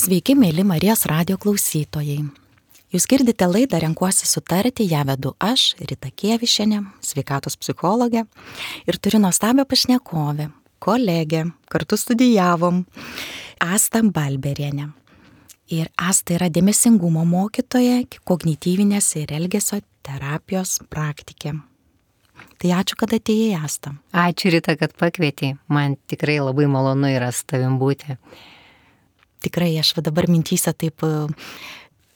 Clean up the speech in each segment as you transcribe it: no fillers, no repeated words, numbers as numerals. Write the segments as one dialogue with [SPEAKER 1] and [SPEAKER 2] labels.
[SPEAKER 1] Sveiki, mėly Marijos radijo klausytojai. Jūs girdite laidą Renkuosi sutarti, ją vedu aš, Rita Kievišienė, sveikatos psichologė, ir turiu nuostabią pašnekovę, kolegę, kartu studijavom, Asta Balberienė. Ir Asta yra dėmesingumo mokytoja, kognityvinės ir elgesio terapijos praktikė. Tai ačiū, kad atėjai, Asta.
[SPEAKER 2] Ačiū, Rita, kad pakvietei. Man tikrai labai malonu yra su tavim būti.
[SPEAKER 1] Tikrai aš dabar mintyse taip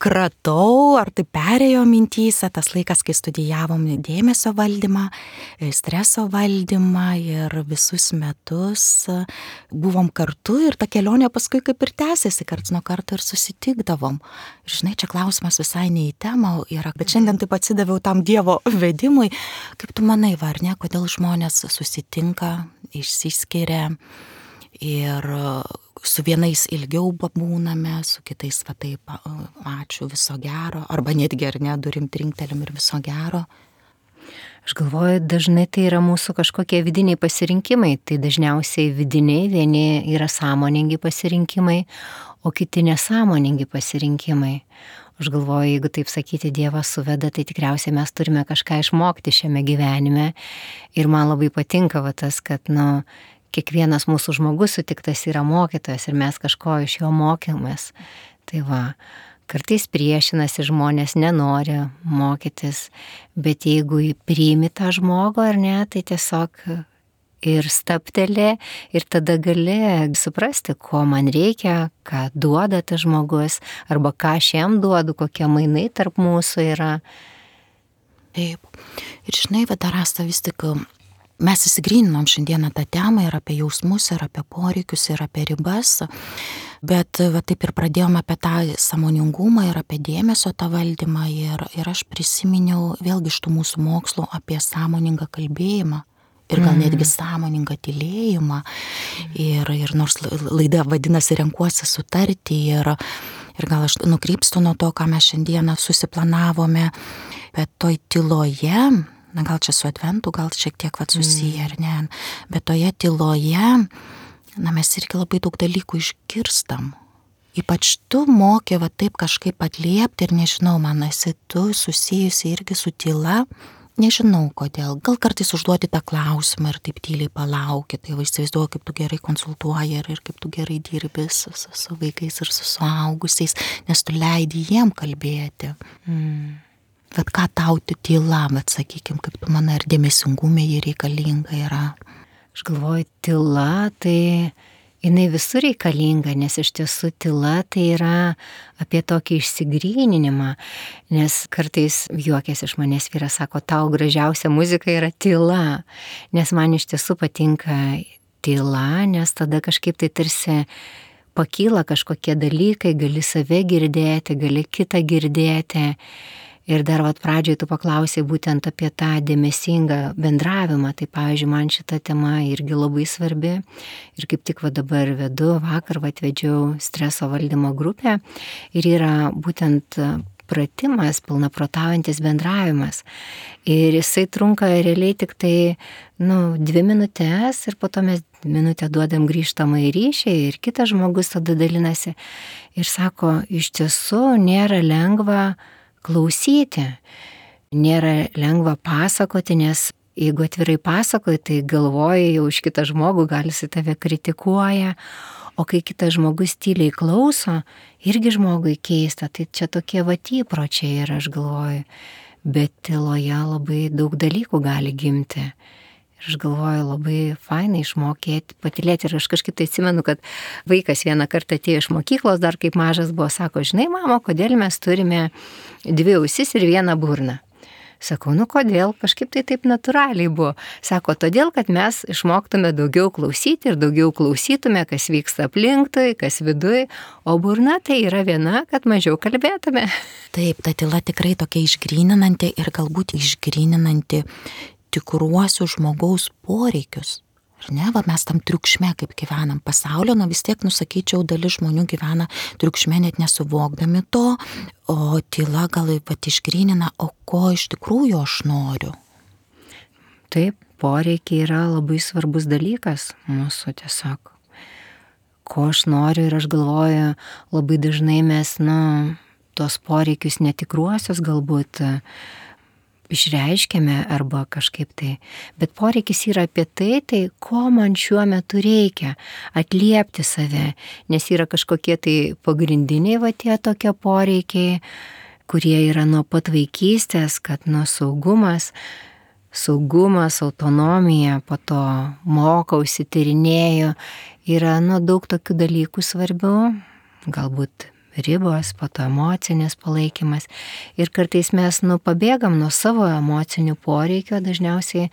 [SPEAKER 1] kratau, ar tai perėjo mintyse tas laikas, kai studijavom dėmesio valdymą, streso valdymą ir visus metus buvom kartu ir ta kelionė paskui kaip ir tęsėsi, karts nuo karto ir susitikdavom. Ir žinai, čia klausimas visai ne į temą yra, bet šiandien taip atsidaviau tam Dievo vedimui. Kaip tu manai, var ne, kodėl žmonės susitinka, išsiskiria ir su vienais ilgiau būname, su kitais va taip, ačiū, viso gero, arba netgi ar ne, durim trinktelim ir viso gero.
[SPEAKER 2] Aš galvoju, dažnai tai yra mūsų kažkokie vidiniai pasirinkimai, tai dažniausiai vidiniai, vieni yra sąmoningi pasirinkimai, o kiti nesąmoningi pasirinkimai. Aš galvoju, jeigu taip sakyti, Dievas suveda, tai tikriausiai mes turime kažką išmokti šiame gyvenime ir man labai patinka va tas, kad, kiekvienas mūsų žmogus sutiktas yra mokytojas ir mes kažko iš jo mokymės. Tai va, kartais priešinasi žmonės, nenori mokytis, bet jeigu priimi tą žmogų ar ne, tai tiesiog ir stabteli ir tada gali suprasti, ko man reikia, ką duoda tas žmogus, arba ką aš jam duodu, kokie mainai tarp mūsų yra.
[SPEAKER 1] Taip. Ir žinai, Asta, vis tik mes įsigryninom šiandieną tą temą ir apie jausmus, ir apie poreikius, ir apie ribas, bet va taip ir pradėjome apie tą sąmoningumą ir apie dėmesio tą valdymą ir aš prisiminiau vėlgi iš tų mūsų mokslų apie sąmoningą kalbėjimą ir gal netgi sąmoningą tylėjimą ir nors laida vadinasi Renkuosi sutarti ir gal aš nukrypstu nuo to, ką mes šiandieną susiplanavome, bet toj tyloje, gal čia su adventu, gal šiek tiek susiję, ar ne, bet toje tyloje, mes irgi labai daug dalykų išgirstam. Ypač tu moki taip kažkaip atliepti ir nežinau, man esi tu susijusi irgi su tyla, nežinau kodėl, gal kartais užduoti tą klausimą ir taip tyliai palauki, tai įsivaizduoju, kaip tu gerai konsultuoji ir kaip tu gerai dirbi su vaikais ir su suaugusiais, nes tu leidi jiem kalbėti. Bet ką tau tyla, sakykim, kaip tu manai, ar dėmesingume jį reikalinga yra?
[SPEAKER 2] Aš galvoju, tyla, tai jinai visur reikalinga, nes iš tiesų tyla tai yra apie tokį išsigryninimą, nes kartais juokės iš manęs vyras sako, tau gražiausia muzika yra tyla, nes man iš tiesų patinka tyla, nes tada kažkaip tai tarsi pakyla kažkokie dalykai, gali save girdėti, gali kitą girdėti. Ir dar pradžioj tu paklausei būtent apie tą dėmesingą bendravimą, tai pavyzdžiui, man šita tema irgi labai svarbi ir kaip tik dabar vedu, vakar vedžiau streso valdymo grupę ir yra būtent pratimas, pilnaprotaujantis bendravimas ir jisai trunka realiai tik tai 2 minutės ir po to mes minutę duodam grįžtamą į ryšį ir kitas žmogus tada dalinasi ir sako, iš tiesų nėra lengva klausyti. Nėra lengva pasakoti, nes jeigu atvirai pasakoji, tai galvoji jau už kitą žmogų, gal jis tave kritikuoja, o kai kitas žmogus tyliai klauso, irgi žmogui keista, tai čia tokie įpročiai ir aš galvoju, bet tyloje labai daug dalykų gali gimti. Ir aš galvoju, labai fainai išmokėti, patylėti. Ir aš kažkaip tai atsimenu, kad vaikas vieną kartą atėjo iš mokyklos, dar kaip mažas buvo, sako, žinai, mama, kodėl mes turime 2 ausis ir 1 burną? Sakau, kodėl? Kažkaip tai taip natūraliai buvo. Sako, todėl, kad mes išmoktume daugiau klausyti ir daugiau klausytume, kas vyksta aplinkui, kas viduj, o burna tai yra viena, kad mažiau kalbėtume.
[SPEAKER 1] Taip, ta tyla tikrai tokia išgryninanti ir galbūt išgryninanti tikruosius žmogaus poreikius. Ar ne, mes tam triukšme kaip gyvenam pasaulio, vis tiek, sakyčiau, dalis žmonių gyvena triukšme net nesuvokdami to, o tyla gal išgrynina, o ko iš tikrųjų aš noriu.
[SPEAKER 2] Taip, poreikiai yra labai svarbus dalykas mūsų tiesiog. ko aš noriu ir aš galvoju, labai dažnai mes, tos poreikius netikruosius galbūt išreiškiame arba kažkaip tai, bet poreikis yra apie tai, ko man šiuo metu reikia, atliepti save, nes yra kažkokie tai pagrindiniai tie tokie poreikiai, kurie yra nuo pat vaikystės, kad saugumas, autonomija, po to mokausi, tyrinėju, yra daug tokių dalykų svarbių, galbūt ribos, po to emocinis palaikymas. Ir kartais mes pabėgam nuo savo emocinių poreikių, dažniausiai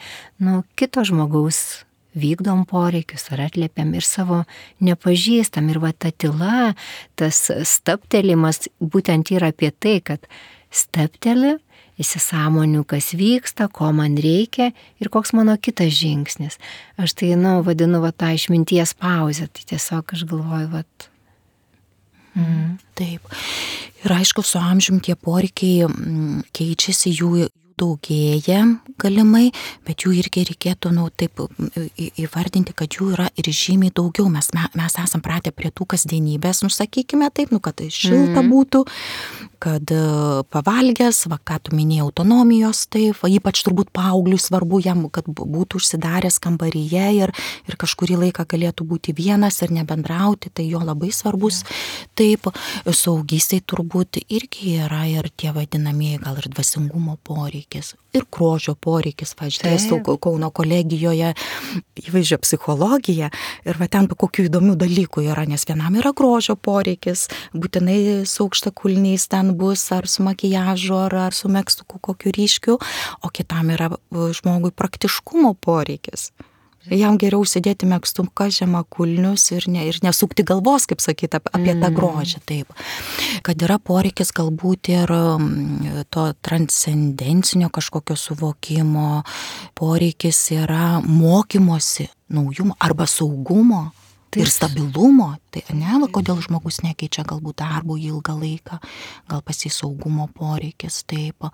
[SPEAKER 2] kito žmogaus vykdom poreikius ar atliepiam ir savo nepažįstam. Ir ta tyla, tas stabtelimas būtent yra apie tai, kad stabteli, įsisąmoniu, kas vyksta, ko man reikia ir koks mano kitas žingsnis. Aš tai, vadinu tą išminties pauzę. Tai tiesiog aš galvoju,
[SPEAKER 1] Taip. Ir aišku, su amžium tie poreikiai keičiasi, jų daugėja galimai, bet jų irgi reikėtų taip įvardinti, kad jų yra ir žymiai daugiau. Mes esam pratę prie tų kasdienybės, sakykime taip, kad šilta būtų, kad pavalgęs, ką tu minėjai, autonomijos, taip, ypač turbūt paaugliui svarbu jam, kad būtų užsidaręs kambaryje ir kažkurį laiką galėtų būti vienas ir nebendrauti, tai jo labai svarbus. Taip, suaugystėj turbūt irgi yra ir tie vadinamieji gal ir dvasingumo poreikiai. Ir grožio poreikis, dėstau Kauno kolegijoje įvaizdžio psichologiją ir ten kokių įdomių dalykų yra, nes vienam yra grožio poreikis, būtinai su aukštakulniais ten bus, ar su makijažu, ar su megztuku kokiu ryškiu, o kitam yra žmogui praktiškumo poreikis. Jam geriau sėdėti megztuką, žemakulnius ir nesukti galvos, kaip sakyti, apie tą grožį. Taip. Kad yra poreikis galbūt ir to transcendencinio kažkokio suvokimo, poreikis yra mokymosi naujumo arba saugumo. Ir stabilumo, tai kodėl žmogus nekeičia galbūt darbo ilgą laiką, gal pas jį saugumo poreikis, taip.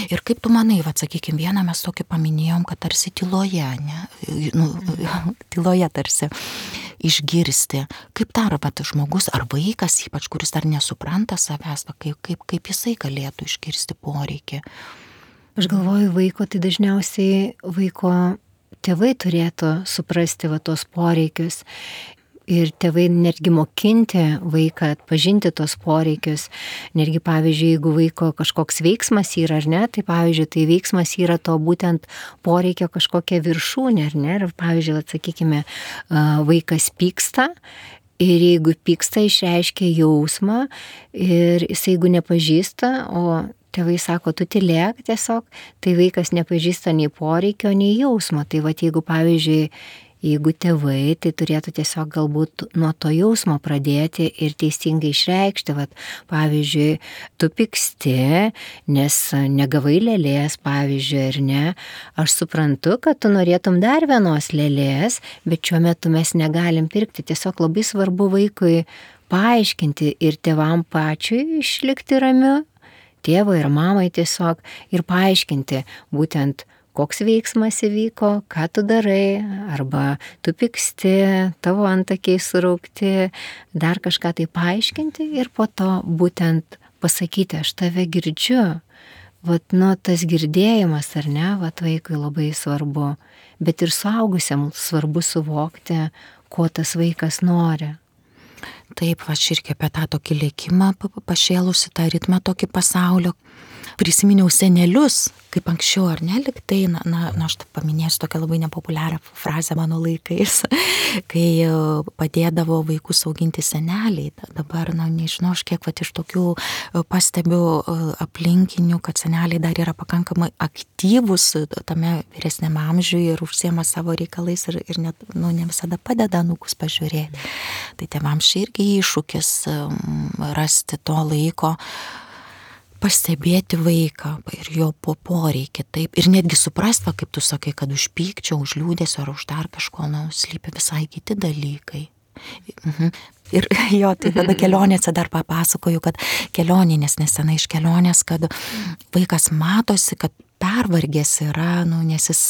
[SPEAKER 1] Ir kaip tu manai, sakykime, vieną mes tokį paminėjom, kad tarsi tyloje, tyloje tarsi išgirsti, kaip dar žmogus ar vaikas, ypač kuris dar nesupranta savęs, kaip jisai galėtų išgirsti poreikį.
[SPEAKER 2] Aš galvoju, tai dažniausiai vaiko tėvai turėtų suprasti tos poreikius. Ir tėvai netgi mokinti vaiką atpažinti tos poreikius. Netgi, pavyzdžiui, jeigu vaiko kažkoks veiksmas yra, ar ne, tai pavyzdžiui, tai veiksmas yra to būtent poreikio kažkokia viršūnė, ar ne. Ir pavyzdžiui, sakykime, vaikas pyksta. Ir jeigu pyksta, išreiškia jausmą ir jis jeigu nepažįsta, o tėvai sako, tu tylėk tiesiog, tai vaikas nepažįsta nei poreikio, nei jausmo. Tai jeigu, pavyzdžiui, jeigu tėvai, tai turėtų tiesiog galbūt nuo to jausmo pradėti ir teisingai išreikšti. Pavyzdžiui, tu pyksti, nes negavai lėlės, pavyzdžiui, ar ne. Aš suprantu, kad tu norėtum dar vienos lėlės, bet šiuo metu mes negalim pirkti. Tiesiog labai svarbu vaikui paaiškinti ir tėvam pačiui išlikti ramiu, tėvui ir mamai tiesiog, ir paaiškinti būtent, koks veiksmas įvyko, ką tu darai, arba tu pyksti, tavo antakiai suraukti, dar kažką tai paaiškinti ir po to būtent pasakyti, aš tave girdžiu. Tas girdėjimas, ar ne, vaikui labai svarbu, bet ir suaugusiam svarbu suvokti, ko tas vaikas nori.
[SPEAKER 1] Taip, aš irgi apie tą tokį lėkimą pašėlusi, tą ritmą tokį pasaulio. Prisiminiau senelius, kaip anksčiau, ar ne, liktai, aš paminėsiu tokią labai nepopuliarią frazę mano laikais, kai padėdavo vaikus auginti seneliai. Dabar, nežinau, aš kiek iš tokių pastebiu aplinkinių, kad seneliai dar yra pakankamai aktyvus tame vyresniame amžiuje ir užsiema savo reikalais ir net, ne visada padeda anūkus pažiūrėti. Tai tėvams irgi iššūkis rasti to laiko, pastebėti vaiką ir jo poreikį, taip, ir netgi suprasti, kaip tu sakai, kad už pykčio, už liūdesio ar už dar kažko, slypi visai kiti dalykai. Ir jo, tai tada kelionėse dar papasakoju, kad kelioninės nesenai iš kelionės, kad vaikas matosi, kad pervargęs yra, nes jis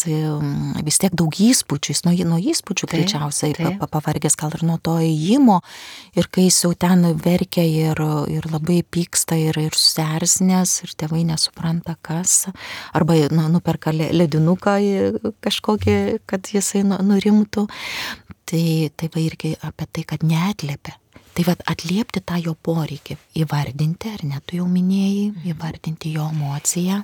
[SPEAKER 1] vis tiek daug įspūdžių, jis nuo įspūdžių greičiausiai pavargęs gal ir nuo to ėjimo, ir kai jis jau ten verkia ir labai pyksta ir susierzinęs, ir tėvai nesupranta kas, arba nuperka ledinuką kažkokį, kad jisai nurimtų, tai va irgi apie tai, kad neatliepia. Tai va atliepti tą jo poreikį, įvardinti, ar ne, tu jau minėjai, įvardinti jo emociją.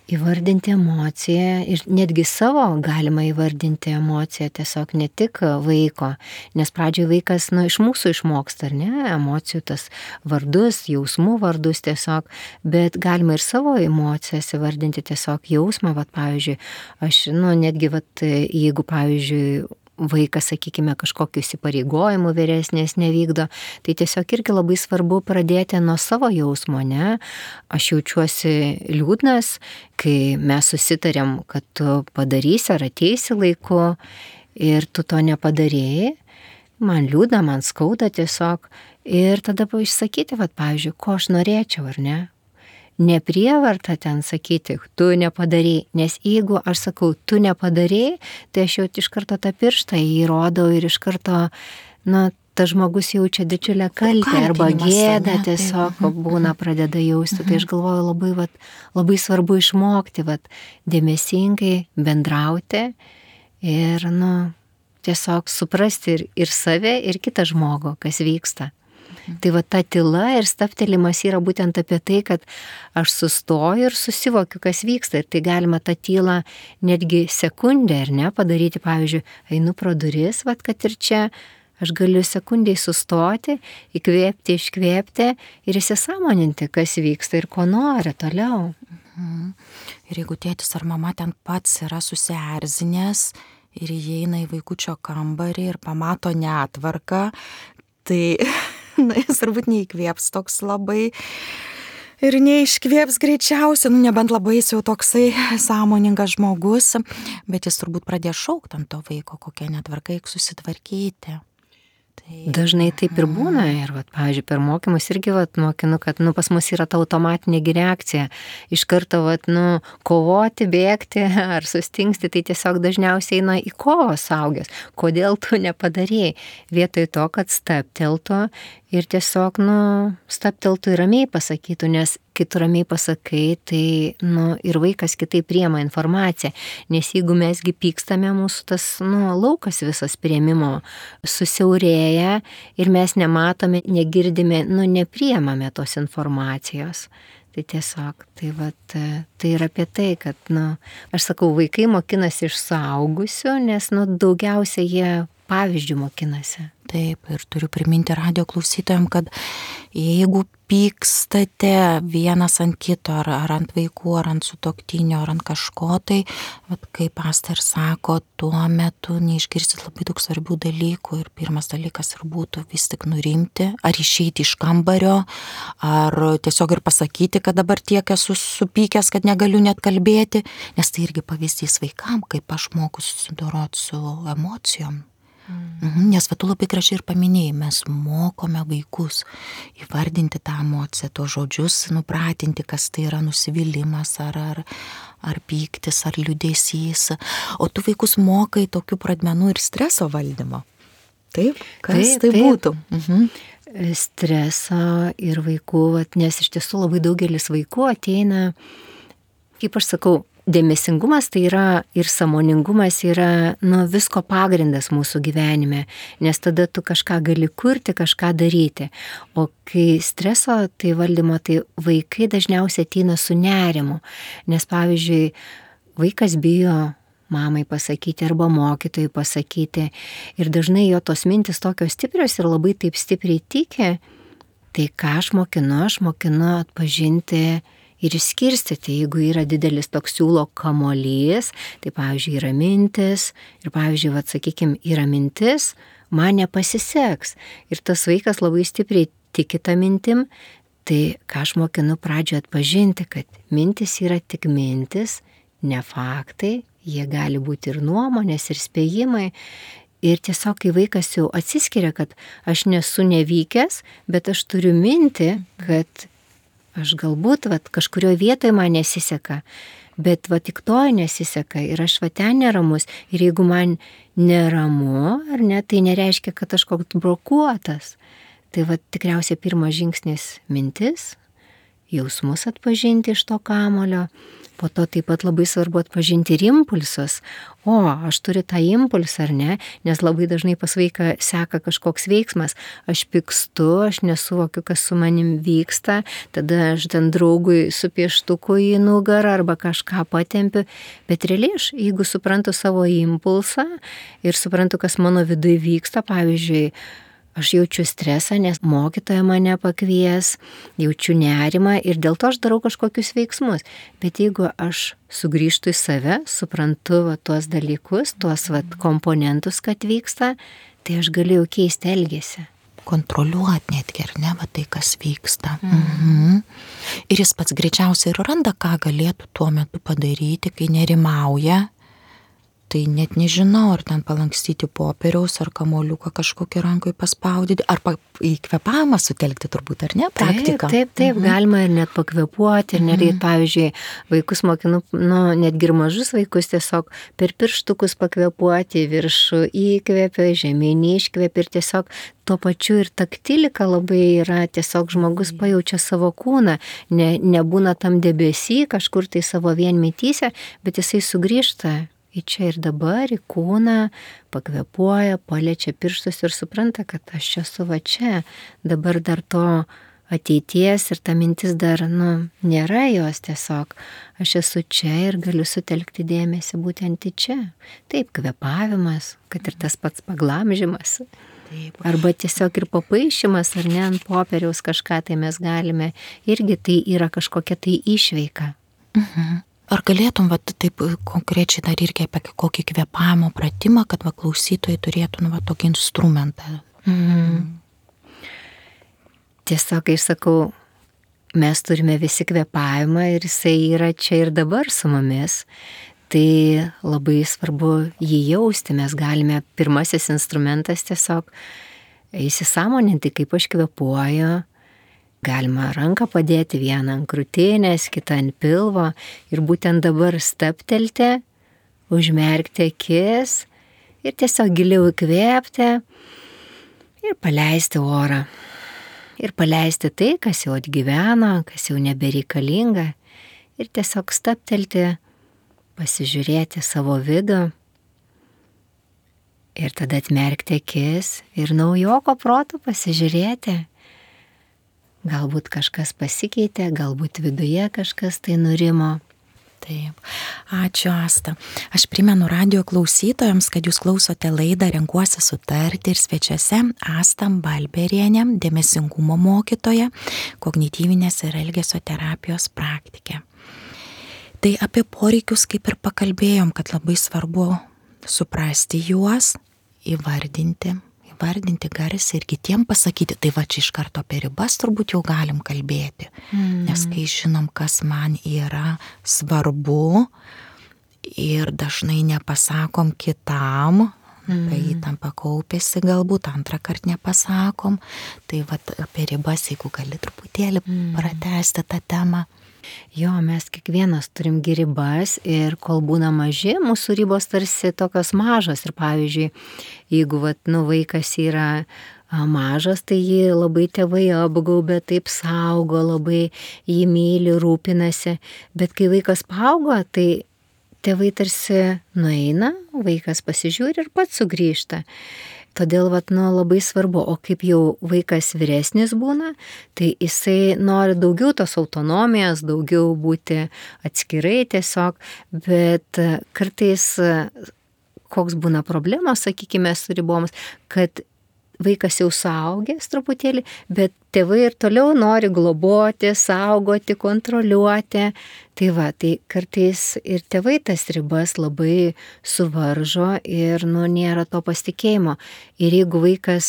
[SPEAKER 2] Įvardinti emociją ir netgi savo galima įvardinti emociją, tiesiog ne tik vaiko, nes pradžioje vaikas iš mūsų išmoksta, ar ne, emocijų tas vardus, jausmų vardus tiesiog, bet galima ir savo emocijas įvardinti tiesiog jausmą, pavyzdžiui, aš netgi, jeigu pavyzdžiui, vaikas, sakykime, kažkokiu įsipareigojimu vyresnės nevykdo, tai tiesiog irgi labai svarbu pradėti nuo savo jausmo, ne? Aš jaučiuosi liūdnas, kai mes susitarėm, kad tu padarysi ar ateisi laiku ir tu to nepadarėjai, man liūdna, man skauda tiesiog, ir tada išsakyti, pavyzdžiui, ko aš norėčiau, ar ne? Neprievarta ten sakyti, tu nepadarei, nes jeigu aš sakau, tu nepadarei, tai aš jau iš karto tą pirštą įrodau ir iš karto, tas žmogus jaučia didžiulę kaltę arba gėdą tiesiog būna pradeda jausti. Tai aš galvoju labai svarbu išmokti, dėmesingai bendrauti ir, tiesiog suprasti ir save, ir kitą žmogų, kas vyksta. Tai ta tyla ir stabtelimas yra būtent apie tai, kad aš sustoju ir susivokiu, kas vyksta. Ir tai galima tą tylą netgi sekundę, ar ne, padaryti, pavyzdžiui, einu pro duris, kad ir čia aš galiu sekundžiai sustoti, įkvėpti, iškvėpti ir įsisąmoninti, kas vyksta ir ko nori toliau.
[SPEAKER 1] Ir jeigu tėtis ar mama ten pats yra susierzinęs ir įeina į vaikučio kambarį ir pamato netvarką, tai jis turbūt neįkvėps toks labai ir neiškvėps greičiausiai, nebent labai jis jau toksai sąmoningas žmogus, bet jis turbūt pradės šaukti ant to vaiko, kokia netvarka, reikia susitvarkyti.
[SPEAKER 2] Dažnai taip ir būna ir, pavyzdžiui, per mokymus irgi, mokinu, kad, pas mus yra ta automatinė reakcija. Iš karto, kovoti, bėgti ar sustingsti, tai tiesiog dažniausiai eina į kovą suaugęs. Kodėl tu nepadarėjai? Vietoj to, kad stabteltų ir tiesiog, stabteltų ir ramiai pasakytų, nes kai tu ramiai pasakai, tai, ir vaikas kitaip priima informaciją, nes jeigu mesgi pykstame, mūsų tas, laukas visas priėmimo susiaurėja ir mes nematome, negirdime, nepriimame tos informacijos. Tai tiesiog, tai yra apie tai, kad, aš sakau, vaikai mokinasi iš suaugusių, nes, daugiausia jie pavyzdžių mokinasi.
[SPEAKER 1] Taip, ir turiu priminti radijo klausytojams, kad jeigu pykstate vienas ant kito, ar ant vaikų, ar ant sutuoktinio, ar ant kažko, tai, kaip Asta ir sako, tuo metu neišgirsit labai daug svarbių dalykų ir pirmas dalykas ir būtų vis tik nurimti, ar išeiti iš kambario, ar tiesiog ir pasakyti, kad dabar tiek esu supykęs, kad negaliu net kalbėti, nes tai irgi pavyzdys vaikam, kaip aš moku susidoroti su emocijom. Nes tu labai gražiai ir paminėjai, mes mokome vaikus įvardinti tą emociją, tuos žodžius, nupratinti, kas tai yra nusivylimas, ar pyktis, ar liūdesys. O tu vaikus mokai tokių pradmenų ir streso valdymo. Taip? Kas tai būtų?
[SPEAKER 2] Streso ir vaikų, nes iš tiesų labai daugelis vaikų ateina, kaip aš sakau, dėmesingumas tai yra ir sąmoningumas yra visko pagrindas mūsų gyvenime, nes tada tu kažką gali kurti, kažką daryti. O kai streso tai valdymo, tai vaikai dažniausiai ateina su nerimu, nes pavyzdžiui, vaikas bijo mamai pasakyti arba mokytojai pasakyti ir dažnai jo tos mintis tokios stiprios ir labai taip stipriai tiki, tai ką aš mokinu atpažinti ir išskirstyti, jeigu yra didelis toks siūlo kamuolys, tai pavyzdžiui yra mintis ir pavyzdžiui, sakykime, yra mintis, man nepasiseks ir tas vaikas labai stipriai tiki tą mintim, tai ką aš mokinu pradžioje atpažinti, kad mintis yra tik mintis, ne faktai, jie gali būti ir nuomonės, ir spėjimai. Ir tiesiog, kai vaikas jau atsiskiria, kad aš nesu nevykęs, bet aš turiu mintį, kad aš galbūt kažkurioje vietoje man nesiseka, bet va tik to nesiseka ir aš va ten neramus. Ir jeigu man neramu, ar ne, tai nereiškia, kad aš koks brokuotas. Tai va tikriausiai pirmas žingsnis mintis, jausmus atpažinti iš to kamulio. Po to taip pat labai svarbu atpažinti ir impulsus. O, aš turiu tą impulsą, ar ne? Nes labai dažnai pas vaiką seka kažkoks veiksmas. Aš pykstu, aš nesuvokiu, kas su manim vyksta. Tada aš ten draugui su pieštuku į nugarą arba kažką patempiu. Bet realiai aš, jeigu suprantu savo impulsą ir suprantu, kas mano viduje vyksta, pavyzdžiui, aš jaučiu stresą, nes mokytoja mane pakvies, jaučiu nerimą ir dėl to aš darau kažkokius veiksmus. Bet jeigu aš sugrįžtu į save, suprantu tuos dalykus, tuos komponentus, kad vyksta, tai aš galiu jau keisti elgesį.
[SPEAKER 1] Kontroliuoti netgi, ar ne, va tai, kas vyksta. Mhm. Ir jis pats greičiausiai ir randa, ką galėtų tuo metu padaryti, kai nerimauja. Tai net nežinau, ar ten palankstyti popieriaus, ar kamoliuką kažkokį rankoj paspaudyti, ar į kvėpavimą sutelkti turbūt, ar ne, praktiką.
[SPEAKER 2] Taip, galima ir net pakvėpuoti, ir netgi, pavyzdžiui, vaikus mokinu, netgi ir mažus vaikus tiesiog per pirštukus pakvėpuoti, viršų įkvėpia, žemyn iškvėpia ir tiesiog tuo pačiu ir taktilika labai yra, tiesiog žmogus pajaučia savo kūną, nebūna tam debesy, kažkur tai savo vienmetyse, bet jisai sugrįžta į čia ir dabar, į kūną, pakvėpuoja, paliečia pirštus ir supranta, kad aš esu va čia. Dabar dar to ateities ir ta mintis dar, nėra jos tiesiog. Aš esu čia ir galiu sutelkti dėmesį būtent į čia. Taip, kvėpavimas, kad ir tas pats paglamžimas. Taip. Arba tiesiog ir papaišymas, ar ne, ant popieriaus kažką tai mes galime. Irgi tai yra kažkokia tai išveika.
[SPEAKER 1] Mhm. Ar galėtum taip konkrečiai dar irgi apie kokį kvėpavimo pratimą, kad klausytojai turėtų tokį instrumentą?
[SPEAKER 2] Tiesiog, kai sakau, mes turime visi kvėpavimą ir jisai yra čia ir dabar su mumis. Tai labai svarbu jį jausti. Mes galime, pirmasis instrumentas tiesiog įsisąmoninti, kaip aš kvėpuoju. Galima ranką padėti vieną ant krūtinės, kitą ant pilvo ir būtent dabar stabtelti, užmerkti akis ir tiesiog giliau įkvėpti ir paleisti orą. Ir paleisti tai, kas jau atgyveno, kas jau nebereikalinga ir tiesiog stabtelti, pasižiūrėti savo vidų ir tada atmerkti akis ir naujoko protu pasižiūrėti. Galbūt kažkas pasikeitė, galbūt viduje kažkas tai nurimo.
[SPEAKER 1] Taip. Ačiū, Asta. Aš primenu radijo klausytojams, kad jūs klausote laidą Renkuosi sutarti ir svečiuose Asta Balberienė, dėmesingumo mokytoja, kognityvinės ir elgesio terapijos praktikė. Tai apie poreikius kaip ir pakalbėjom, kad labai svarbu suprasti juos, įvardinti garsiai ir kitiem pasakyti. Tai va čia iš karto apie ribas turbūt jau galim kalbėti. Nes kai žinom, kas man yra svarbu ir dažnai nepasakom kitam, tai įtampa kaupėsi galbūt, antrą kartą nepasakom. Tai va apie ribas, jeigu gali truputėlį pratęsti tą temą.
[SPEAKER 2] Jo, mes kiekvienas turim ribas ir kol būna maži, mūsų ribos tarsi tokios mažos. Ir pavyzdžiui, jeigu vaikas yra mažas, tai jį labai tėvai apgaubia, taip saugo, labai jį myli, rūpinasi. Bet kai vaikas paaugo, tai tėvai tarsi nueina, vaikas pasižiūri ir pats sugrįžta. Todėl labai svarbu, o kaip jau vaikas vyresnis būna, tai jisai nori daugiau tos autonomijos, daugiau būti atskirai tiesiog, bet kartais koks būna problemos, sakykime, su ribomis, kad vaikas jau suaugęs truputėlį, bet tėvai ir toliau nori globoti, saugoti, kontroliuoti. Tai kartais ir tėvai tas ribas labai suvaržo ir nėra to pasitikėjimo. Ir jeigu vaikas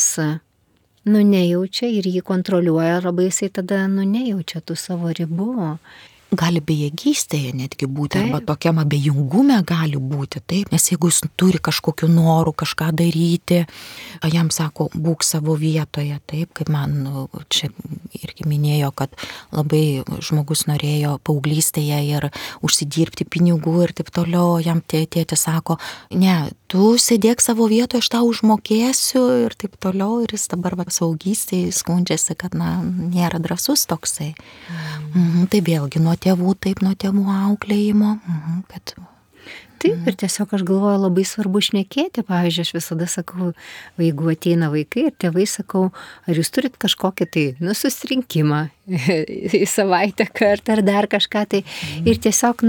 [SPEAKER 2] nejaučia ir jį kontroliuoja, labai jisai tada nejaučia tų savo ribų.
[SPEAKER 1] gali bejėgystėje netgi būti, arba tokiam abejingume gali būti, taip, nes jeigu jis turi kažkokiu noru kažką daryti, jam sako, būk savo vietoje, taip, kaip man čia irgi minėjo, kad labai žmogus norėjo paauglystėje ir užsidirbti pinigų ir taip toliau, jam tėtis sako, ne, tu sėdėk savo vietoje, aš tau užmokėsiu ir taip toliau, ir jis dabar saugystėje skundžiasi, kad, nėra drąsus toksai. Tai vėlgi nuo tėvų, taip, nuo tėvų auklėjimo, kad...
[SPEAKER 2] Taip, ir tiesiog aš galvoju, labai svarbu šnekėti, pavyzdžiui, aš visada sakau, jeigu ateina vaikai ir tėvai sakau, ar jūs turit kažkokį tai, susirinkimą į savaitę kartą ar dar kažką tai, ir tiesiog,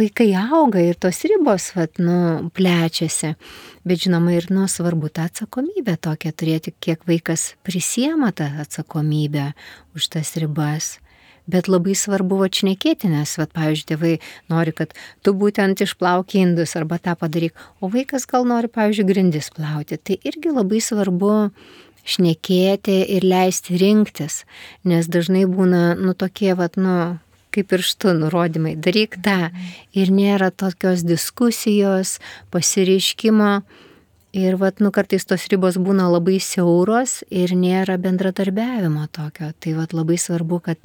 [SPEAKER 2] vaikai auga ir tos ribos, plečiasi, bet žinoma ir, svarbu tą atsakomybę tokią turėti, kiek vaikas prisiema tą atsakomybę už tas ribas. Bet labai svarbu šnekėti, nes, pavyzdžiui, tėvai nori, kad tu būtent išplauki indus arba tą padaryk, o vaikas gal nori, pavyzdžiui, grindis plauti. Tai irgi labai svarbu šnekėti ir leisti rinktis, nes dažnai būna, tokie, kaip pirštu nurodymai, daryk tą. Ir nėra tokios diskusijos, pasireiškimo. Ir kartais tos ribos būna labai siauros ir nėra bendradarbiavimo tokio. Tai labai svarbu, kad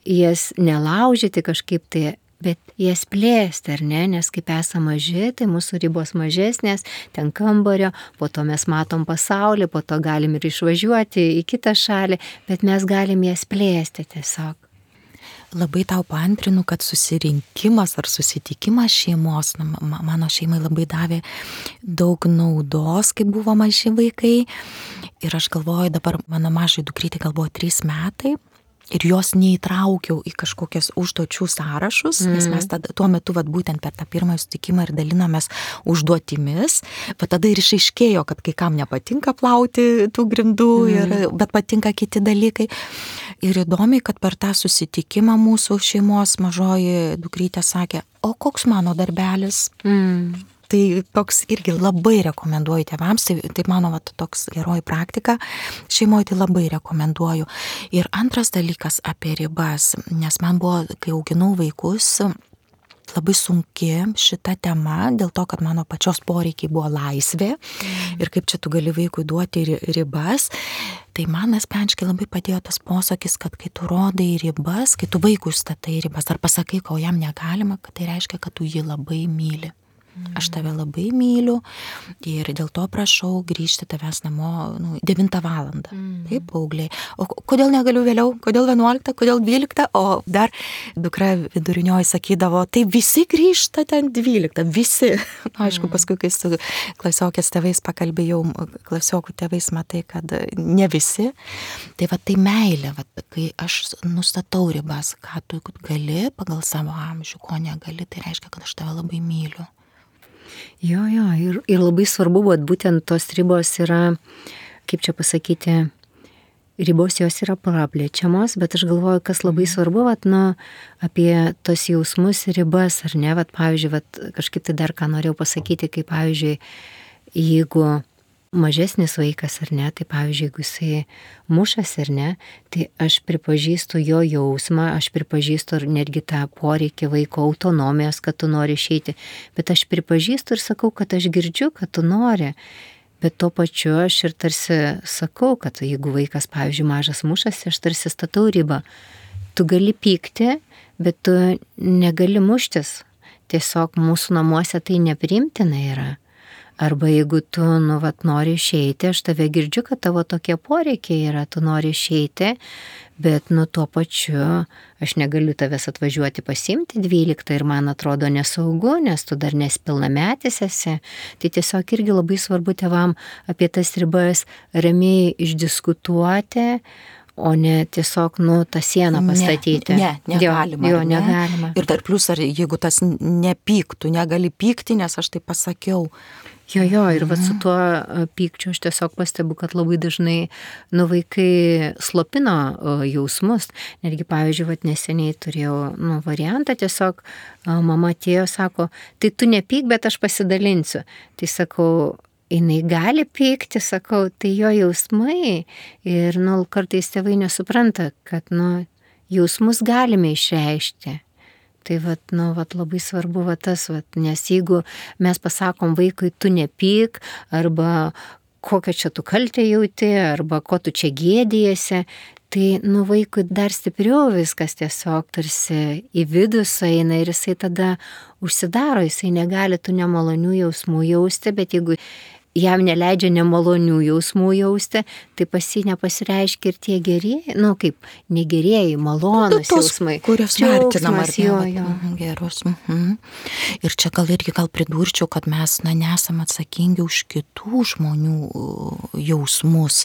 [SPEAKER 2] jas nelaužyti kažkaip tai, bet jas plėsti, ar ne? Nes kaip esame maži, tai mūsų ribos mažesnės, ten kambario, po to mes matom pasaulį, po to galim ir išvažiuoti į kitą šalį, bet mes galim jas plėsti tiesiog.
[SPEAKER 1] Labai tau paantrinu, kad susirinkimas ar susitikimas šeimos, mano šeimai labai davė daug naudos, kai buvo maži vaikai. Ir aš galvoju, dabar mano mažai dukrytė gal buvo 3 metai. Ir jos neįtraukiau į kažkokias užduočių sąrašus, nes mes tuo metu būtent per tą pirmąjį sutikimą ir dalinomės užduotimis, bet tada ir išaiškėjo, kad kai kam nepatinka plauti tų grindų, bet patinka kiti dalykai. Ir įdomiai, kad per tą susitikimą mūsų šeimos mažoji dukrytė sakė, o koks mano darbelis? Tai toks irgi labai rekomenduoju tėvams, tai mano toks geroji praktika šeimoje, tai labai rekomenduoju. Ir antras dalykas apie ribas, nes man buvo, kai auginau vaikus, labai sunki šita tema, dėl to, kad mano pačios poreikiai buvo laisvė ir kaip čia tu gali vaikui duoti ribas. Tai man asmeniškai labai padėjo tas posakis, kad kai tu rodai ribas, kai tu vaikui statai ribas ar pasakai, ko jam negalima, kad tai reiškia, kad tu jį labai myli. Aš tave labai myliu ir dėl to prašau grįžti tavęs namo 9 valandą. Taip, paaugliai. O kodėl negaliu vėliau? Kodėl 11? Kodėl 12? O dar dukra vidurinioji sakydavo, tai visi grįžta ten 12. Visi. Aišku, paskui, kai su klasiokės tėvais pakalbėjau, klasiokų tėvais matai, kad ne visi. Tai tai meilė, kai aš nustatau ribas, ką tu gali pagal savo amžių, ko negali, tai reiškia, kad aš tave labai myliu.
[SPEAKER 2] Jo, ir labai svarbu, būtent tos ribos yra, kaip čia pasakyti, ribos jos yra praplečiamos, bet aš galvoju, kas labai svarbu, apie tos jausmus ir ribas, ar ne, pavyzdžiui, kažkaip tai dar ką norėjau pasakyti, kaip pavyzdžiui, jeigu mažesnis vaikas, ar ne, tai pavyzdžiui, jeigu jisai mušas, ar ne, tai aš pripažįstu jo jausmą, aš pripažįstu netgi tą poreikį vaiko autonomijos, kad tu nori išeiti, bet aš pripažįstu ir sakau, kad aš girdžiu, kad tu nori, bet tuo pačiu aš ir tarsi sakau, kad jeigu vaikas, pavyzdžiui, mažas mušasi, aš tarsi statau ribą. Tu gali pykti, bet tu negali muštis. Tiesiog mūsų namuose tai nepriimtina yra. Arba jeigu tu, nori išeiti, aš tave girdžiu, kad tavo tokie poreikiai yra, tu nori išeiti, bet tuo pačiu aš negaliu tavęs atvažiuoti pasiimti 12 ir man atrodo nesaugu, nes tu dar nepilnametis esi. Tai tiesiog irgi labai svarbu tėvam apie tas ribas ramiai išdiskutuoti, o ne tiesiog, tą sieną pastatyti.
[SPEAKER 1] Negalima.
[SPEAKER 2] Jo, negalima.
[SPEAKER 1] Ir dar plius, ar jeigu tas nepyktų, negali pykti, nes aš tai pasakiau.
[SPEAKER 2] Jo, ir su tuo pykčiu aš tiesiog pastebiu, kad labai dažnai vaikai slopino jausmus. Netgi, pavyzdžiui, neseniai turėjau variantą, tiesiog mama atėjo, sako, tai tu nepyk, bet aš pasidalinsiu. Tai sakau, jinai gali pykti, sakau, tai jo jausmai ir kartais tėvai nesupranta, kad jausmus galime išreikšti. Tai labai svarbu tas, nes jeigu mes pasakom vaikui, tu nepyk, arba kokią čia tu kaltę jauti, arba ko tu čia gėdijasi, tai vaikui dar stipriau viskas tiesiog tarsi į vidų sueina ir jisai tada užsidaro, jisai negali tų nemalonių jausmų jausti, bet jeigu jam neleidžia nemalonių jausmų jausti, tai pas jį nepasireiškia ir tie gerieji, kaip negerieji, malonus jausmai.
[SPEAKER 1] Kurios vertinam ar
[SPEAKER 2] jo.
[SPEAKER 1] Gerus. Ir čia gal pridurčiau, kad mes nesam atsakingi už kitų žmonių jausmus,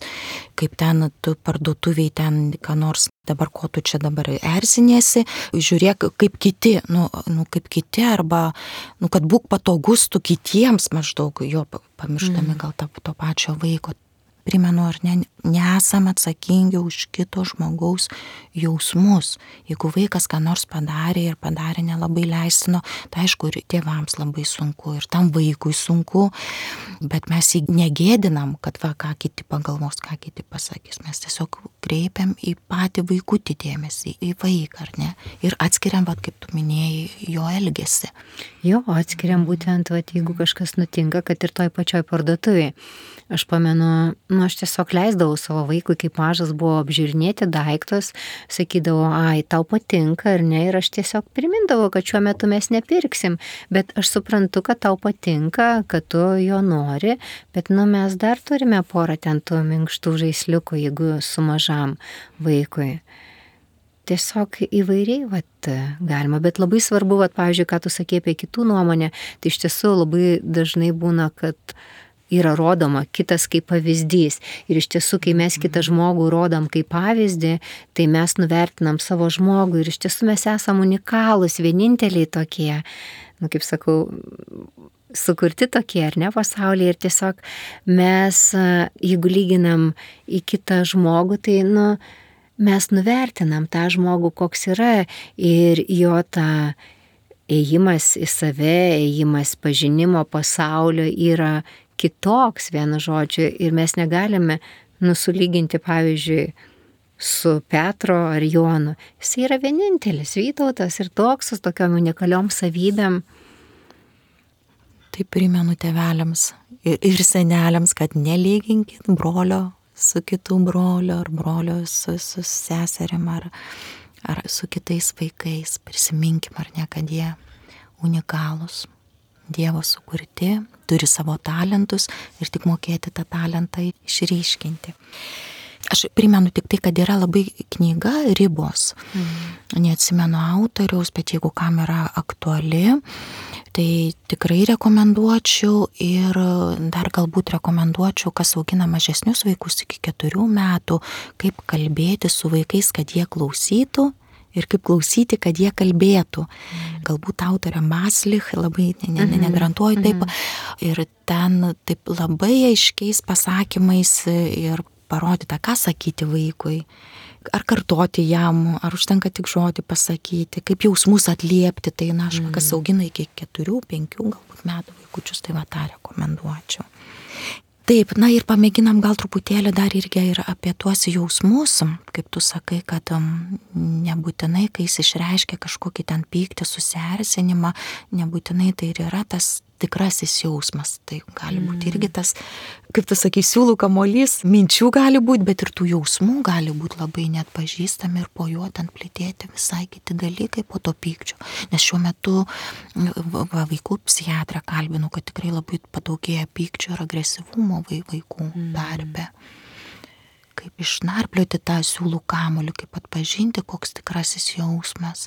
[SPEAKER 1] kaip ten tu parduotuviai ten, ką nors dabar ko tu čia dabar erziniesi, žiūrėk kaip kiti, kaip kiti, arba, kad būk patogus tu kitiems maždaug, jo pamirštami gal to pačio vaiko. Primenu, ar ne, nesam atsakingi už kito žmogaus jausmus. Jeigu vaikas ką nors padarė nelabai leistino, tai aišku, ir tėvams labai sunku, ir tam vaikui sunku, bet mes jį negėdinam, kad ką kiti pagalvos, ką kiti pasakys. Mes tiesiog kreipiam į patį vaikutį dėmesį, į vaiką, ar ne? Ir atskiriam, kaip tu minėjai, jo elgesį.
[SPEAKER 2] Jo, atskiriam būtent, jeigu kažkas nutinka, kad ir toj pačioj parduotuvėje. Aš pamenu, aš tiesiog leisdavau savo vaikui, kaip mažas buvo, apžiūrinėti daiktus, sakydavau, tau patinka ar ne, ir aš tiesiog primindavau, kad šiuo metu mes nepirksim, bet aš suprantu, kad tau patinka, kad tu jo nori, bet mes dar turime porą ten tų minkštų žaisliukų, jeigu su mažam vaikui. Tiesiog įvairiai galima, bet labai svarbu, pavyzdžiui, ką tu sakei apie kitų nuomonę, tai iš tiesų labai dažnai būna, kad yra rodoma kitas kaip pavyzdys. Ir iš tiesų, kai mes kitą žmogų rodom kaip pavyzdį, tai mes nuvertinam savo žmogų ir iš tiesų mes esam unikalūs, vieninteliai tokie, kaip sakau, sukurti tokie, ar ne, pasaulyje. Ir tiesiog mes, jeigu lyginam į kitą žmogų, tai, mes nuvertinam tą žmogų, koks yra, ir jo tą ėjimas į save, ėjimas pažinimo pasaulio yra kitoks, vienu žodžiu, ir mes negalime nusulyginti, pavyzdžiui, su Petro ar Jonu. Jis yra vienintelis Vytautas ir toks, su tokiom unikaliom savybėm.
[SPEAKER 1] Tai primenu tėveliams ir seneliams, kad nelyginkit brolio su kitų brolio, ar brolio su seserim, ar su kitais vaikais. Prisiminkim, ar ne, kad jie unikalūs, Dievo sukurti, turi savo talentus ir tik mokėti tą talentą išryškinti. Aš primenu tik tai, kad yra labai knyga Ribos. Neatsimenu autoriaus, bet jeigu kam yra aktuali, tai tikrai rekomenduočiau, ir dar galbūt rekomenduočiau, kas augina mažesnius vaikus iki 4 metų, kaip kalbėti su vaikais, kad jie klausytų, ir kaip klausyti, kad jie kalbėtų. Galbūt autorė Maslich, labai negarantuoju taip, ir ten taip labai aiškiais pasakymais ir parodyta, ką sakyti vaikui, ar kartoti jam, ar užtenka tik žodį pasakyti, kaip jausmus atliepti, tai kas augina iki 4-5 galbūt metų vaikučius, tai tą rekomenduočiau. Taip, ir pamėginam gal truputėlį dar irgi ir apie tuos jausmus, kaip tu sakai, kad nebūtinai, kai jis išreiškia kažkokį ten pyktį, susierzinimą, nebūtinai tai ir yra tas tikrasis jausmas. Tai gali būti irgi tas, kaip tu sakai, siūlų kamuolys, minčių gali būti, bet ir tų jausmų gali būti labai net pažįstami ir po juo ten plėtėti visai kiti dalykai po to pykčio. Nes šiuo metu vaikų psichiatrą kalbinu, kad tikrai labai padaugėja pykčio ir agresyvumo vaikų tarpe. Kaip išnarplioti tą siūlų kamuolį, kaip atpažinti, koks tikrasis jausmas.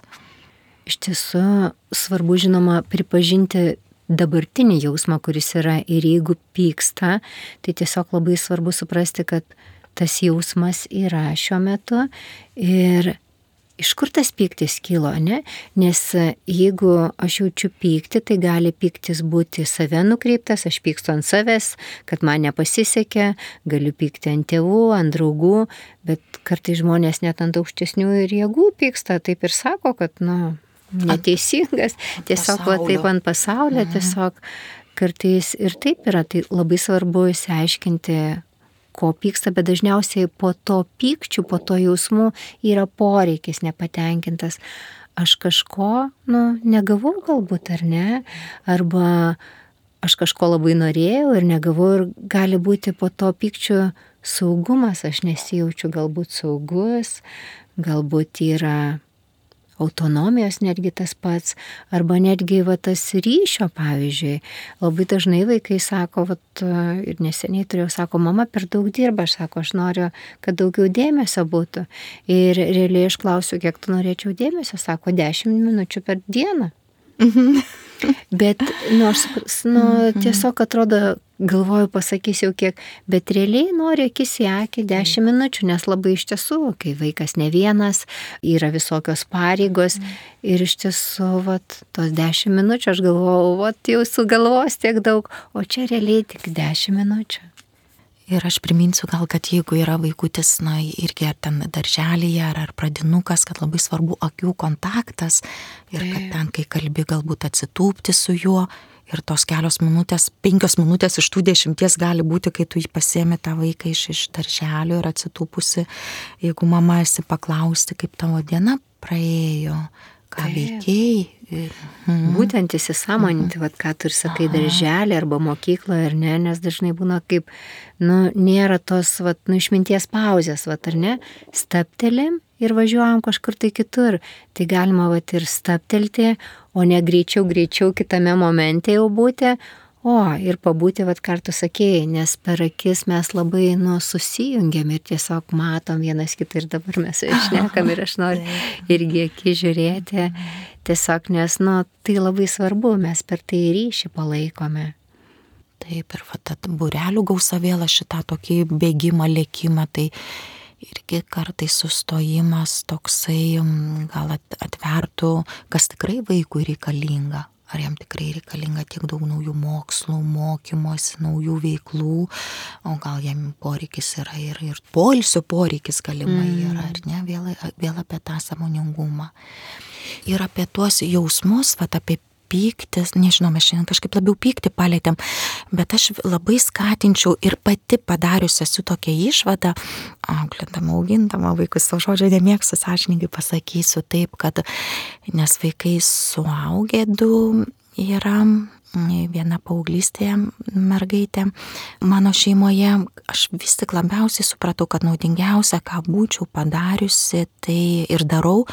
[SPEAKER 2] Iš tiesų svarbu, žinoma, pripažinti dabartinį jausmą, kuris yra, ir jeigu pyksta, tai tiesiog labai svarbu suprasti, kad tas jausmas yra šiuo metu ir iš kur tas pyktis kilo, ne? Nes jeigu aš jaučiu pyktį, tai gali pyktis būti save nukreiptas, aš pykstu ant savęs, kad man nepasisekė, galiu pykti ant tėvų, ant draugų, bet kartais žmonės net ant aukštesnių ir jėgų pyksta, taip ir sako, kad, neteisingas, tiesiog taip ant pasaulio, tiesiog kartais ir taip yra, tai labai svarbu išsiaiškinti, ko pyksta, bet dažniausiai po to pykčių, po to jausmų yra poreikis nepatenkintas. Aš kažko, negavau galbūt ar ne, arba aš kažko labai norėjau ir negavau ir gali būti po to pykčių saugumas, aš nesijaučiu galbūt saugus, galbūt yra autonomijos netgi tas pats, arba netgi tas ryšio, pavyzdžiui. Labai dažnai vaikai sako, ir neseniai turėjau, sako, mama per daug dirba, aš noriu, kad daugiau dėmesio būtų. Ir realiai aš klausiu, kiek tu norėčiau dėmesio, sako, 10 minučių per dieną. Bet, tiesiog atrodo, galvoju, pasakysiu kiek, bet realiai noriu akis į akį 10 minučių, nes labai iš tiesų, kai vaikas ne vienas, yra visokios pareigos ir iš tiesų, tos 10 minučių, aš galvoju, jau sugalvos tiek daug, o čia realiai tik 10 minučių.
[SPEAKER 1] Ir aš priminsiu gal, kad jeigu yra vaikutis, irgi ar ten darželyje, ar pradinukas, kad labai svarbu akių kontaktas ir kad ten, kai kalbi, galbūt atsitūpti su juo ir tos 5 minutės iš tų 10 gali būti, kai tu jį pasiemi tą vaiką iš darželio ir atsitūpusi, jeigu mama esi paklausti, kaip tavo diena praėjo, ką veikėjai.
[SPEAKER 2] Būtent įsisąmoninti, ką tu ir sakai darželį arba mokykloje, ar ne, nes dažnai būna kaip, nėra tos, išminties pauzės, ar ne, stabtelim ir važiuojam kažkur tai kitur. Tai galima ir stabtelti, o ne greičiau kitame momente jau būti, ir pabūti, ką tu sakėjai, nes per akis mes labai susijungiam ir tiesiog matom vienas kitą ir dabar mes šnekam ir aš noriu irgi akis žiūrėti, tiesiog, nes tai labai svarbu, mes per tai ryšį palaikome.
[SPEAKER 1] Taip, ir būrelių gausa vėl šitą tokį bėgimą, lėkimą, tai irgi kartais sustojimas toksai gal atvertų, kas tikrai vaikui reikalinga. Ar jam tikrai reikalinga tiek daug naujų mokslų, mokymosi, naujų veiklų, o gal jam poreikis yra ir poilsio poreikis galimai yra, ar ne, vėl apie tą sąmoningumą. Ir apie tuos jausmus, apie pyktis, nežinau, mes šiandien kažkaip labiau pyktį palėtėm, bet aš labai skatinčiau ir pati padarius esu tokią išvadą, auklindama, augindama vaikus, savo žodžio nemėgstu, sąžiningai pasakysiu taip, kad nes vaikai suaugę 2 yra, viena paauglystėje mergaitė mano šeimoje, aš vis tik labiausiai supratau, kad naudingiausia, ką būčiau padariusi, tai ir darau,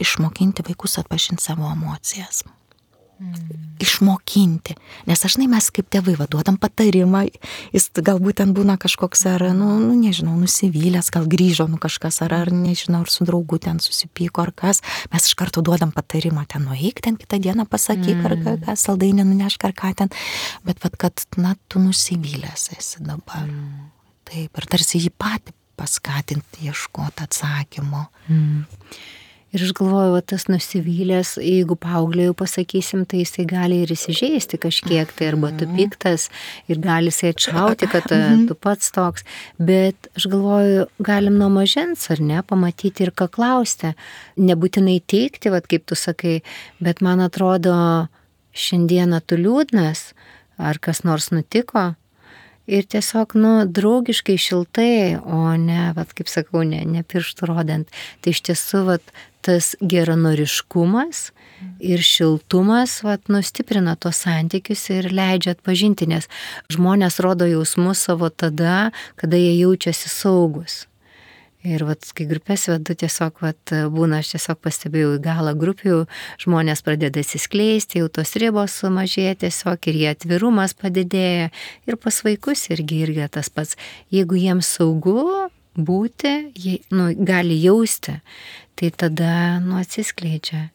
[SPEAKER 1] išmokinti vaikus atpažinti savo emocijas. Išmokinti, nes dažnai mes kaip tėvai duodam patarimą, jis galbūt ten būna kažkoks ar, nežinau, nusivylęs, gal grįžo kažkas ar nežinau, ar su draugu ten susipyko ar kas, mes iš karto duodam patarimą, ten nueik, ten kitą dieną pasakyk ar ką, saldainį nunešk ar ką ten, bet kad, tu nusivylęs esi dabar. Taip, ir tarsi jį patį paskatinti, ieškoti atsakymo.
[SPEAKER 2] Ir aš galvoju, tas nusivylęs, jeigu paaugliui jau pasakysim, tai jisai gali ir įsižeisti kažkiek, tai arba tu piktas ir gali jisai atšauti, kad tu pats toks. Bet aš galvoju, galim nuo mažens, ar ne, pamatyti ir ką klausti. Nebūtinai teikti, kaip tu sakai, bet man atrodo, šiandieną tu liūdnas, ar kas nors nutiko. Ir tiesiog, draugiškai, šiltai, o ne, kaip sakau, ne pirštų rodant. Tai iš tiesų, tas geranoriškumas ir šiltumas, stiprina tuos santykius ir leidžia atpažinti, nes žmonės rodo jausmus savo tada, kada jie jaučiasi saugus. Ir kai grupės vedu, tiesiog būna, aš tiesiog pastebėjau į galą grupių, žmonės pradeda atsiskleisti, jau tos ribos sumažėja tiesiog ir jie atvirumas padidėja. Ir pas vaikus irgi tas pats. Jeigu jiems saugu būti, jie gali jausti, tai tada atsiskleidžia.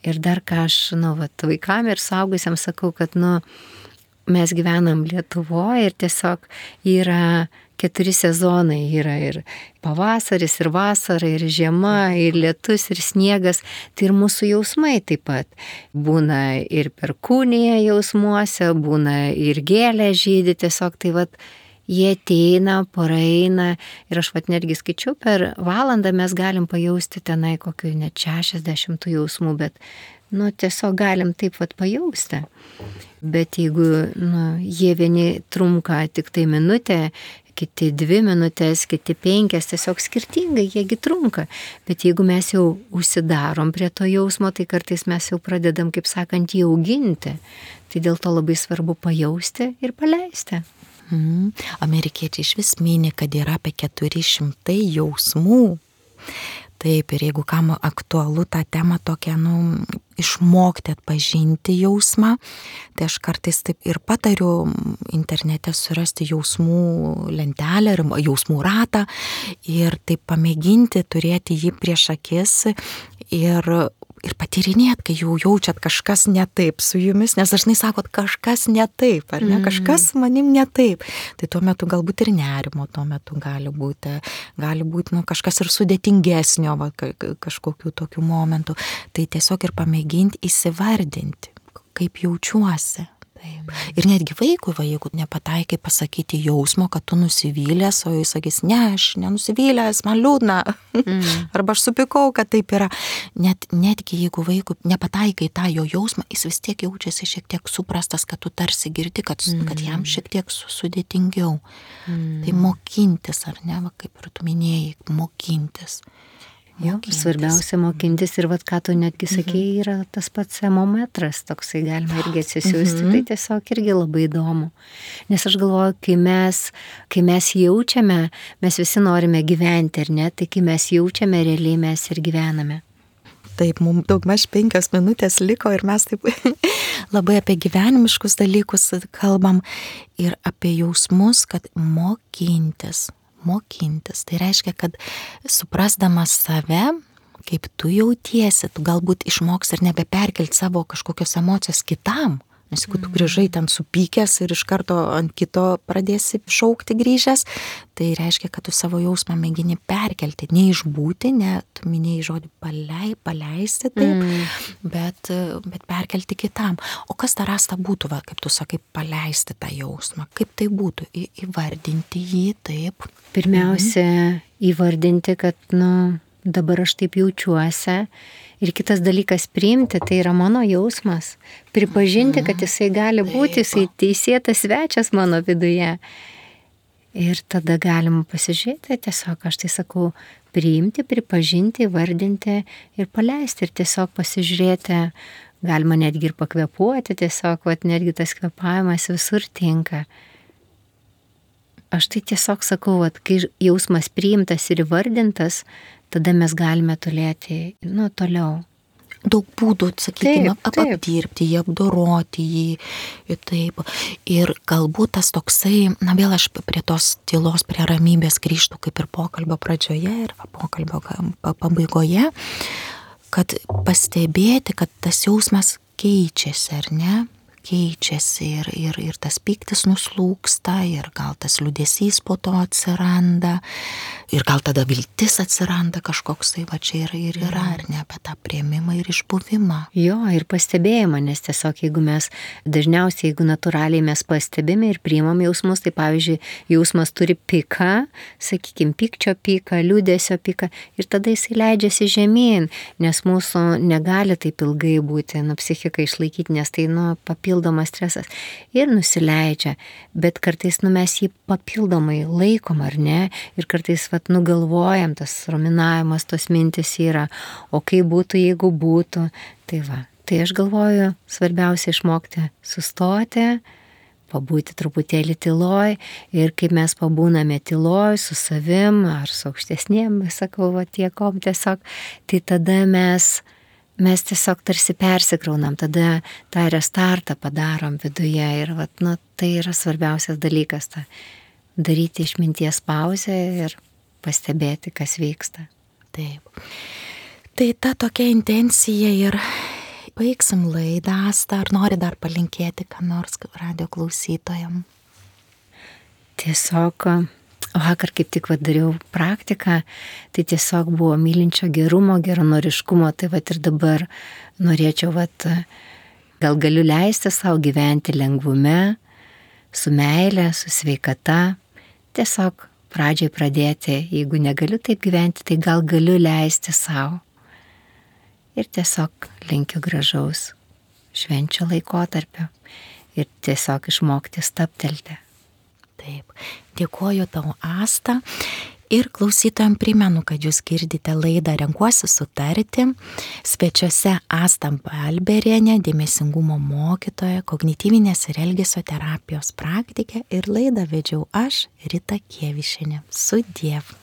[SPEAKER 2] Ir dar ką aš vaikam ir suaugusiems sakau, kad mes gyvenam Lietuvoje ir tiesiog yra 4 sezonai, yra ir pavasaris, ir vasara, ir žiema, ir lietus, ir sniegas, tai ir mūsų jausmai taip pat. Būna ir perkūnija jausmuose, būna ir gėlė žydi, tiesiog tai jie ateina, praeina ir aš netgi skaičiau, per valandą mes galim pajausti tenai kokių net 60 jausmų, bet tiesiog galim taip pajausti. Bet jeigu jie vieni trunka tik tai minutę, kiti 2 minutės, kiti 5, tiesiog skirtingai, jiegi trunka. Bet jeigu mes jau užsidarom prie to jausmo, tai kartais mes jau pradedam, kaip sakant, jį auginti. Tai dėl to labai svarbu pajausti ir paleisti.
[SPEAKER 1] Amerikiečiai iš vis mini, kad yra apie 400 jausmų. Taip, ir jeigu kam aktualu tą temą tokią, išmokti atpažinti jausmą, tai aš kartais taip ir patariu internete surasti jausmų lentelę ir jausmų ratą ir taip pamėginti turėti jį prieš akis ir patyrinėt, kai jau jaučiat kažkas ne taip su jumis, nes dažnai sakot kažkas ne taip, ar ne, kažkas su manim ne taip. Tai tuo metu galbūt ir nerimo, tuo metu gali būti kažkas ir sudėtingesnio, kažkokių tokių momentų. Tai tiesiog ir pamėginti įsivardinti, kaip jaučiuosi. Taip. Ir netgi vaikui, jeigu nepataikai pasakyti jausmo, kad tu nusivylęs, o jis sakys, ne, aš nenusivylęs, man liūdna, arba aš supykau, kad taip yra. Netgi jeigu vaikui nepataikai tą jo jausmą, jis vis tiek jaučiasi šiek tiek suprastas, kad tu tarsi girdi, kad jam šiek tiek sudėtingiau. Tai mokintis, ar ne, kaip ir tu minėjai, mokintis.
[SPEAKER 2] Svarbiausia mokintis ir ką tu netgi sakėjai, yra tas pats emometras, toksai galima irgi atsisiųsti, tai tiesiog irgi labai įdomu. Nes aš galvoju, kai mes jaučiame, mes visi norime gyventi, ar ne, tai kai mes jaučiame, realiai mes ir gyvename.
[SPEAKER 1] Taip, mums daugmaž 5 minutės liko ir mes taip labai apie gyvenimiškus dalykus kalbam ir apie jausmus, kad mokintis. Tai reiškia, kad suprasdamas save, kaip tu jautiesi, tu galbūt išmoks ir nebeperkelti savo kažkokios emocijos kitam. Nes jeigu tu grįžai ten supykęs ir iš karto ant kito pradėsi šaukti grįžęs, tai reiškia, kad tu savo jausmą mėgini perkelti, neišbūti, tu minėjai žodį paleisti, taip, bet perkelti kitam. O kas ta rasta būtų, kaip tu sakai, paleisti tą jausmą? Kaip tai būtų? Įvardinti jį, taip.
[SPEAKER 2] Pirmiausia, įvardinti, kad, dabar aš taip jaučiuosi. Ir kitas dalykas priimti, tai yra mano jausmas. Pripažinti, kad jisai gali būti, jisai teisėtas svečias mano viduje. Ir tada galima pasižiūrėti, tiesiog aš tai sakau, priimti, pripažinti, įvardinti ir paleisti. Ir tiesiog pasižiūrėti, galima netgi ir pakvėpuoti, tiesiog, netgi tas kvėpavimas visur tinka. Aš tai tiesiog sakau, kai jausmas priimtas ir įvardintas, tada mes galime turėti, toliau.
[SPEAKER 1] Daug būdų, sakykime, apdirbti jį, apdoroti jį, taip. Ir galbūt tas toksai, vėl aš prie tos tylos, prie ramybės grįžtu kaip ir pokalbio pradžioje ir pokalbio pabaigoje, kad pastebėti, kad tas jausmas keičiasi, ar ne? Keičiasi ir tas pyktis nuslūksta ir gal tas liūdesys po to atsiranda ir gal tada viltis atsiranda kažkoks tai čia ir yra, ar ne, apie tą priėmimą ir išbuvimą.
[SPEAKER 2] Jo, ir pastebėjimą, nes tiesiog jeigu mes dažniausiai, jeigu natūraliai mes pastebime ir priimam jausmus, tai pavyzdžiui, jausmas turi piką, sakykime, pykčio piką, liūdesio piką ir tada jisai leidžiasi žemyn, nes mūsų negali taip ilgai būti, psichiką išlaikyti, nes tai, papildomas stresas ir nusileidžia, bet kartais mes jį papildomai laikom, ar ne, ir kartais nugalvojam, tas ruminavimas, tos mintis yra, o kaip būtų, jeigu būtų, tai aš galvoju, svarbiausia išmokti sustoti, pabūti truputėlį tyloj ir kaip mes pabūname tyloj su savim ar su aukštesnėm, sakau, tiekom tiesiog, tai tada mes tiesiog tarsi persikraunam, tada tą restartą padarom viduje ir tai yra svarbiausias dalykas, daryti išminties pauzę ir pastebėti, kas vyksta.
[SPEAKER 1] Taip. Tai ta tokia intencija ir baigsim laidą. Asta, ar nori dar palinkėti ką nors radijo klausytojam?
[SPEAKER 2] Tiesiog vakar kaip tik dariau praktiką, tai tiesiog buvo mylinčio gerumo, geranoriškumo, tai ir dabar norėčiau, gal galiu leisti savo gyventi lengvume, su meile, su sveikata, tiesiog pradžiai pradėti, jeigu negaliu taip gyventi, tai gal galiu leisti savo. Ir tiesiog linkiu gražaus švenčių laikotarpio ir tiesiog išmokti stabtelti.
[SPEAKER 1] Taip. Dėkoju tau, Asta. Ir klausytojams primenu, kad jūs girdite laidą Renkuosi sutarti. Svečiuose Asta Balberienė, dėmesingumo mokytoja, kognityvinės ir elgesio terapijos praktikė. Ir laidą vedžiau aš, Rita Kievišienė. Sudiev.